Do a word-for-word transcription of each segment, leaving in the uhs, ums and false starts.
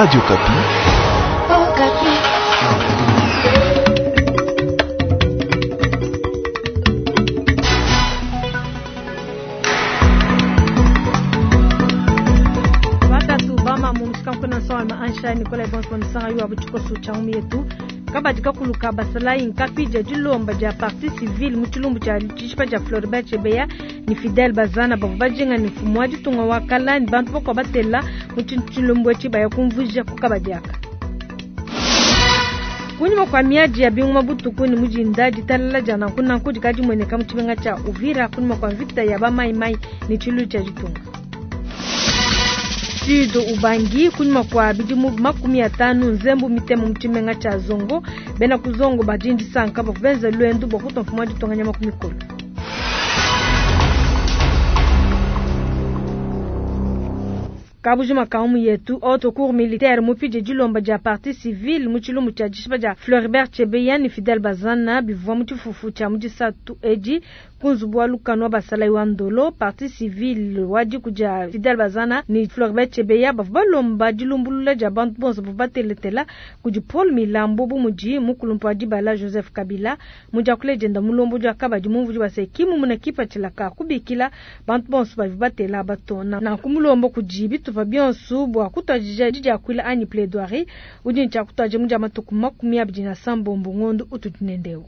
Radio Okapi. Oh, Kabadi kakulu ka basalayi nkapidya dilomba dia partie civile mu tshilumbu tshia tshishipa dia Floribert Chebeya ni Fidel Bazana bavua bajinga ni mfumu wa ditunga wa kala ni bantu bakwa batela mu tshilumbu etshi baya kumvuija ku kabadi aka. Kunyima kwa miadi ya binguma butuku ni mujinda ditalala dia nanku nanku dikadi mueneka mu tshimenga tshia Uvira kunyima kwa mvita ya ba mai mai ni tshilu tshia ditunga. Sud Ubangi kunyima kwa bidimu makumi atanu nzembu mitemo mu tshimenga tshia Zongo bena ku Zongo badindi sanka bavua benza lwendu bua kutua mfumu wa ditunga nyama ku mikolo. Kabujima kaumu yetu haute cour militaire mupije dilomba dia partie civile mu tshilumbu tshia dishipa dia Floribert Chebeya ni Fidel Bazana bivua mu tshifufu tshia mu disatu edi ku nzubu wa lukanu wa basalayi wa Ndolo. Partie civile wa diku dia Fidel Bazana ni Floribert Chebeya bavua balomba dilumbulula dia bantu bonso bavua bateletela kudi Paul Milambo bu mudi mukulumpa wa dibala Joseph Kabila mu diakula dienda mulombo dia kabadi mumvudi wa se kimu muna kipatshila ka kubikila bantu bonso bavua batela batona nanku mulombo kudi bitupa bionso bua kutuadija didiakuila anyi plaidoirie udi ntshia kutuadija mu dia matuku makumi abidi na sambombo ngondo utudi nendeu.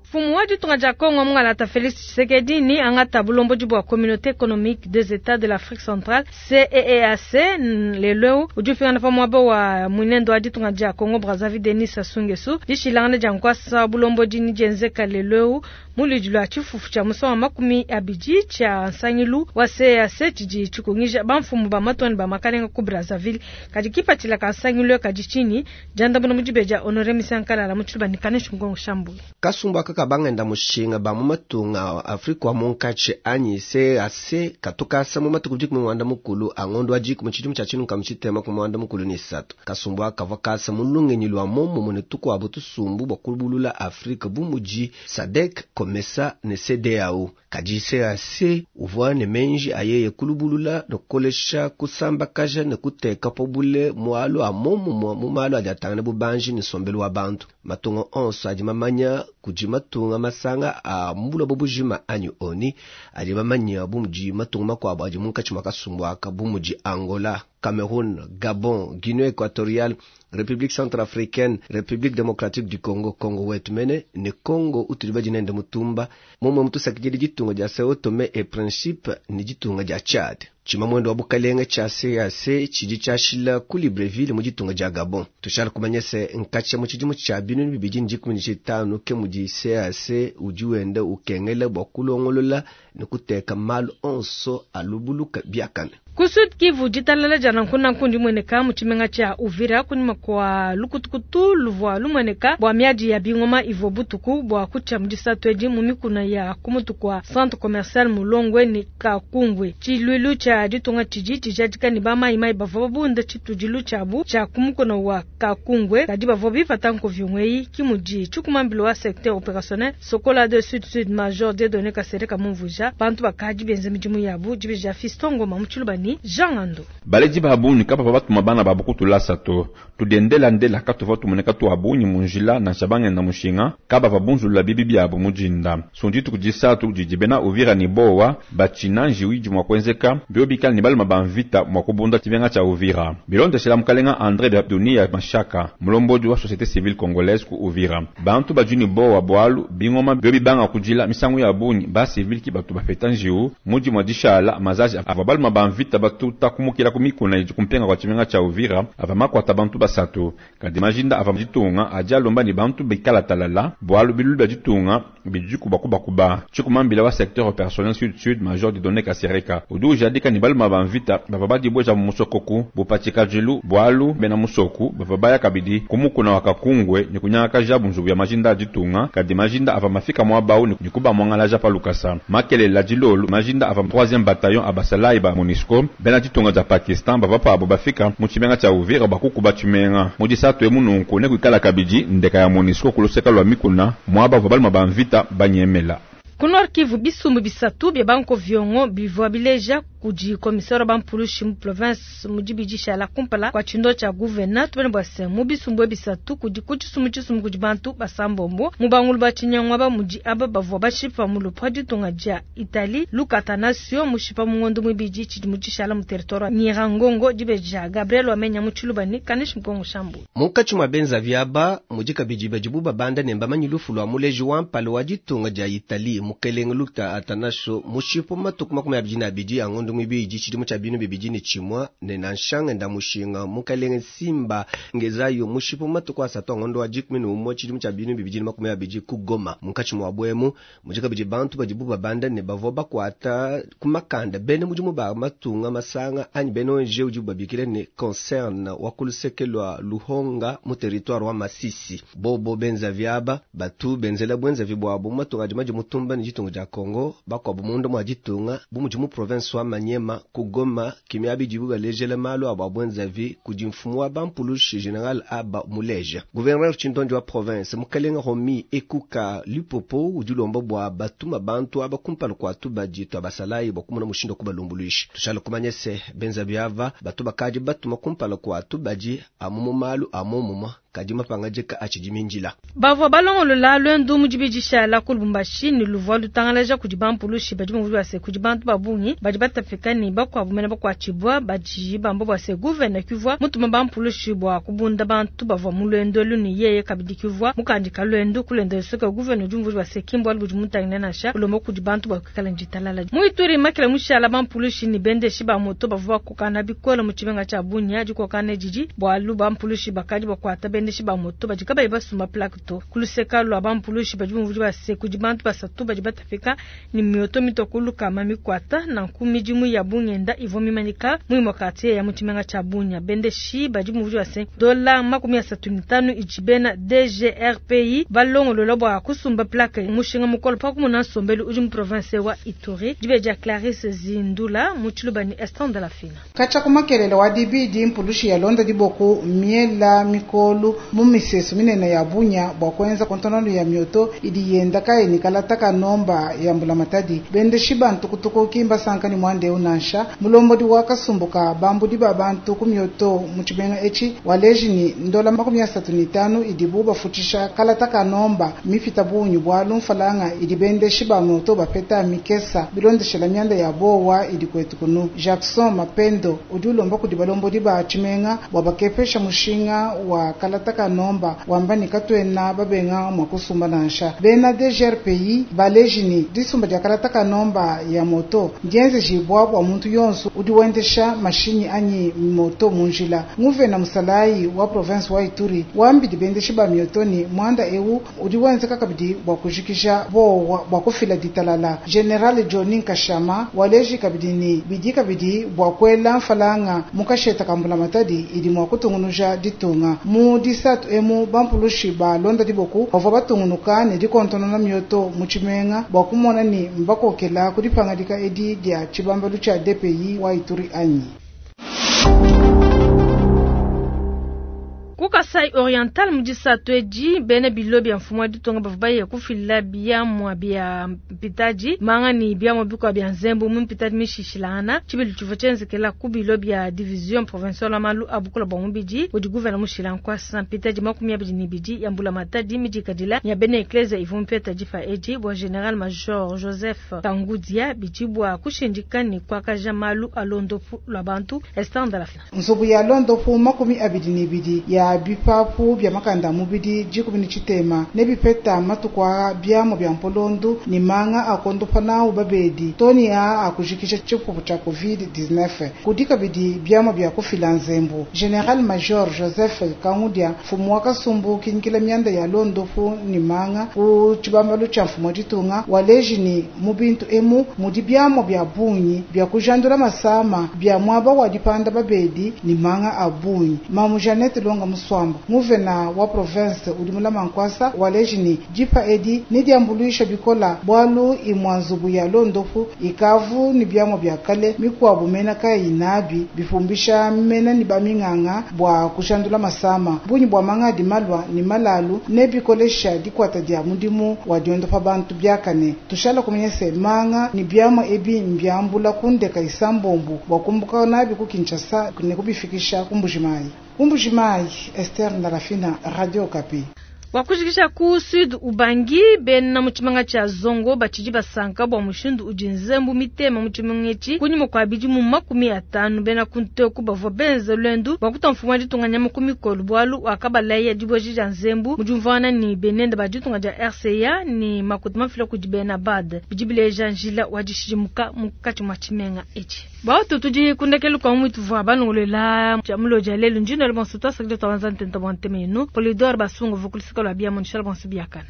Mfumu wa ditunga dia Congo Mungalata Félix Tshisekedi ni angata bulombodi bua Communauté économique des États de l'Afrique centrale C E E A C lelo udi ufingana pa muaba wa munendo wa ditunga dia Congo Brazzaville Denis Sassou Nguesso dishilangana dia nkwasa bulombodi ni dienzeka lelo mu ludi lua tshifufu tshia musangu wa makumi abidi tshia nsangilu wa C E A C tshidi tshikungija bamfumu ba matoni ba makalenga ku Brazzaville kadi kipatshila ka nsangilu kadi tshinyi diandamuna mu dibeja Honoré Misankalala mu tshiluba ni Kaneshi Ngongo Shambulu. Kasumbu aka bangenda mushinga ba mu matunga Afrika wa munkatshi anyi C A C katukasa mu matuku dikumi mwanda mukulu angondo wa dikumi tshidimu tshia tshinuka mu tshitema ku mwanda mukulu ni isatu. Kasumbu aka kavua kasa mu lungenyi lua momumue ne tukuabu tusumbu bua kulubulula Afrika bu mudi SADC, COMESA ne C D A O. Kadi C A C uvua ne menji ayeye kulubulula ne kukolesha kusambakaja ne kuteka po bule mualu a momumue mu malu adi atangana bubanji ne nsombelu wa bantu. Matunga onso adi mamanya kudi matunga masanga a mbula bubujima anyi oni adi mamanya bu mudi matunga makuabu adi munkatshi mua kasumbu aka bu mudi Angola, Cameroun, Gabon, Guinée équatoriale, République centrafricaine, République démocratique du Congo, Congo wetu mene ne Congo utudi badinende mutumba momwe mutusakidile ditunga dia Sao Tomé et Principe ne ditunga dia Tchad. Tshimamwendo wa bukalenge tshia C A C tshidi tshiashila ku Libreville mu ditunga dia Gabon. Tushala kumanya se nkatsha mu tshidimu tshia binunu bibidi ne dikumi ne tshitanu ke mudi C A C udi wenda ukengela bua kulongolola ne kuteka malu onso alubuluka biakane. Ku Sud Kivu ditalala dia nanku nanku ndimueneka mu tshimenga tshia Uvira kunyima kwa lukutukutu luvua lumueneka bua miadi ya bingoma ivua butuku bua kutshia mu disatu edi mu mikuna ya kumutu kwa centre commercial Mulongwe ne Kakungwe. Tshiluilu tshia ditunga tshidi tshijadika ne bamayimayi bavua babunda tshitudilu tshiabu tshia kumukona wa Kakungwe kadi bavua bipata nkovyongo eyi ki mudi tshikumambilo wa secteur opérationnel Sokola de Sud Sud Major Dieudonné Kasereka Mumvuja bantu bakadi benza midimu yabu dibija Fiston Ngoma mu tshiluba ni Jean Ando. Baleji babunyi kapa pa batuma bana babu kutulasa to tudendela ndela katuva tumoneka tu abunyi munjila na shabange na mushinga kaba babunzula bibi byabo mujinda sunditu kujisatu jijibena Uvira ni bowa bachinanji wiji mwa kwenzeka biobikal ni baluma banvita mwa kubunda tibenga cha Uvira bilonde shela mukalenga André Dunia Mashaka mulombodi wa société civile congolaise ku Uvira bantu bajuni bowa bwalu bingoma biobibanga kujila misangu ya bunyi ba civile ki batu bafeta njiu muji mwa dishala mazaji ava baluma banvita batuta kumukila kumikuna idi kumpenga kwa tshimenga tshia Uvira ava makwata bantu basatu kadi majinda ava ditunga aja alomba ni bantu bikala talala bwalu bilulu bya ditunga bidiku bakubakuba tshikumambila wa secteur opérationnel sud sud major Dieudonné Kasereka udu ujadika ni baluma banvita bava badibweja mu musokoku bupatika jilu bwalu bena musoku bava baya kabidi kumukuna wakakungwe ni kunyaka jabu nzubu ya majinda ditunga kadi majinda ava mafika mwa bau ni kuba mwangalaja pa lukasa makelela dilolu majinda ava troisième bataillon abasalayi ba MONUSCO bena ditunga dia Pakistan bava pabo bafika mu tshimenga tshia Uvira bakukuba tshimenga mu disatu emu nunku ne kuikala kabidi ndeka ya MONUSCO kuluseka lwa mikuna mwaba bava baluma banvita banyemela. Ku Nord Kivu bisumbu bisatu bya banko vyongo bivua bileja kudi commissaire wa bampulushi mu province mu dibidishala kumpala kwa tshindo tshia gouverneur tubene bua se mu bisumbu bisatu kudi ku tshisumbu tshisumbu kudi bantu basambombo mu bangulu ba tshinyangwa ba mudi aba bavua bashipa mu lupwa ditunga dia Italie Luca Attanasio mushipa mu ngondo muibidi tshidi mu tshishala mu territoire wa Nyiragongo dibeja Gabriel Wamenya mu Tshilubani Kanish Mkongo Shambu munkatshi mua benzavi aba mudi kabidi badibu babanda ne mbamanyi lufu lwa muleji wa mpala wa ditunga dia Italie mukelenge Luca Attanasio mushipa matuku makumi abidi na abidi a ngondo muibidi tshidimu tshia binu bibidi ne tshimua ne nansha ngenda mushinga mukelenge Simba Ngezayo mushipa matuku asatu a ngondo wa dikumi ne umue tshidimu tshia binu bibidi ne makumi abidi ku Goma munkatshi mua bwemu mudi kabidi bantu badibu babanda ne bavua bakwata ku makanda bene mudimu ba matunga masanga anyi bene ONG udibu babikile ne concern wa kuluseke lwa Luhonga mu territoire wa Masisi bobo benzavi aba batu benzela bwenzavi bwabo mu matunga adi madi mutumba ne ditunga dia Congo bakwabo munda mua ditunga bu mudi mu province wa Maniema ku Goma kimia bidibu balejela malu abo abwenzavi kudi mfumu wa bampulushi general aba muleja gouverneur tshindondi wa province mukalenga Romi Ekuka Lupopo udi ulomba bua batuma bantu aba kumpala kua tubadi tua basalayi bua kumona mushindu wa kubalumbuluisha tushala kumanya se benzavi ava batu bakadi batuma kumpala kua tubadi amu mu malu a momumua kadi mapangajika atshidi minjila bavua balongolola lwendu mu dibidishala ku Lubumbashi ne luvua lutangalaja kudi bampulushi badi bumvua se kudi bantu ba bungi badi batapika ne bakuabu mene bakuatshibua badi bamba bua se gouverneur kivua mutuma bampulushi bua kubunda bantu bavua mu lwendo elu ne yeye kabidi kivua mukandika lwendu kulenda soka gouverneur udi umvua se kimbo alu budi mutangila nansha ulomba kudi bantu bua kuikala nditalala mu Ituri makela mushala bampulushi ne bendeshi ba moto bavua bakokana bikole mu tshimenga tshia Bunia dikokana didi bualu bampulushi bakadi bakuata bendeshi ba moto badi kabayi basumba plaque to kuluseka lwa bampulushi badi bumvua base kudi bantu basatu badi batapika ni mioto mitokulu kama mikwata nanku midimu ya bungenda ivua mimanyika mu imue quartier ya mu tshimenga tshia Bunia bendeshi badi bumvua base dola makumi asatu ne tanu idi bena DGRPI balongolola bua kusumba plaque mushinga mukolo pa kumona nsombelu udi mu province wa Ituri dibeja Clarisse Zindula mu Tshilubani Eston de la Fina kacha kumakelele wa dibidi mpulushi ya londa diboku miela mikolu mu misesu minene ya Bunia bua kuenza kontonano ya mioto idi yenda kayi nikalata kanomba ya mbulamatadi bendeshi bantu kutuku kimba sankani mwande unansha mulombodi wa kasumbuka bambudi ba bantu ku mioto mu tshimenga etshi waleji ni ndola makumi asatu ni tanu idibu bafutshisha kalata kanomba mipita bunyu bwalu mfalanga idi bendeshi ba mioto bapeta mikesa bilondeshela mianda ya bowa idi kwetu kunu Jackson Mapendo udi ulomba kudi balombodi ba tshimenga bua bakepesha mushinga wa kalata kanomba wamba ni katwena babenga mwa kusumba nansha bena DGRPI baleji ni disumba dia kalata kanomba ya moto ndienze jibwa bua muntu yonso udi wendesha mashinyi anyi moto munjila nguvena musalayi wa province wa Ituri wambidi bendeshi ba mioto ni mwanda ewu udi wenzeka kabidi bua kujikisha bowa bua kufila ditalala General Johnny Nkashama waleji kabidi ni bidi kabidi bua kuela mfalanga mukasheta kambula matadi idi mwa kutungunuja ditunga mu disatu emu bampulushi ba londa diboku bavua batungunuka ne dikontonona mioto mu tshimenga bua kumona ni mbakokela kudipangadika edi dia tshibambalu tshia DPI wa Ituri anyi Ku Kasai Oriental mu disatu edi bene bilo bia mfumu wa ditunga bavua baye kufila biamua bia mpitadi manga ni biamua bikua bia nzembu mu mpitadi mishishilangana tshibilu tshivua tshienzekela ku bilo bia division provinciale wa malu a bukula bua mubidi udi guvena mushila nkuasa mpitadi makumi abidi ne ibidi ya mbula matadi midikadila ya bene eklezia ivua mupeta dipa edi bua general major Joseph Kangudia bidi bua kushindika ne kuakaja malu a londopu lua bantu Esther Ndalafina nzubu ya londopu makumi abidi ne ibidi ya bipapu bia makanda mubidi dikumi ne tshitema ne bipeta matuku a biamu bia mpolondu ne manga akondopa nawu babedi toni a akujikisha tshipupu tshia covid dix-neuf kudi kabidi biamu bia kufila nzembu general major Joseph Kangudia mfumu wa kasumbu kinkila mianda ya londopu ne manga ku tshibambalu tshia mfumu wa ditunga waleji ni mu bintu emu mudi biamu bia bungi bia kujandula masama bia muaba wa dipanda babedi ne manga a bungi mamu Jeannette Longa Musuamba. Nguvena wa province udi mulama nkuasa waleji ni dipa edi ne diambuluisha bikola bualu imua nzubu ya londopu ikavu ni biamua bia kale mikuabu mena kayi nabi bipumbisha mena ni baminganga bua kushandula masama bunyi bua manga adi malwa ni malalu ne bikolesha dikwata dia mudimu wa diondopa bantu biakane tushala kumenya se manga ni biamua ebi mbiambula kundeka isambombu bua kumbuka nabi ku Kinshasa ne kubifikisha ku Mbujimayi. Ku Mbujimayi, Esther Ndalafina, Radio Okapi. Wakujikisha ku Sud Ubangi bena mu tshimanga tshia Zongo batshidi basanka bua mushindu udi nzembu mitema mu tshimenga etshi kunyima kua bidimu makumi atanu bena kunteku bavua benza lwendu bua kutua mfumu wa ditunga nyama ku mikolo bualu wakabalaya dibueji dia nzembu mu diumvuangana ni benende ba ditunga dia R C A ni makuta mafila kudi bena B A D bidi bileja njila wa dishidimuka munkatshi mua tshimenga etshi. Bautu tudi kundekelu kwa mwitu vua balongolola tshia muloji ya lelu njino bonso twasakile twabanza ntenta bua ntema yenu Polidor Basungu vukulisika lwa bia monishala bonso biakana.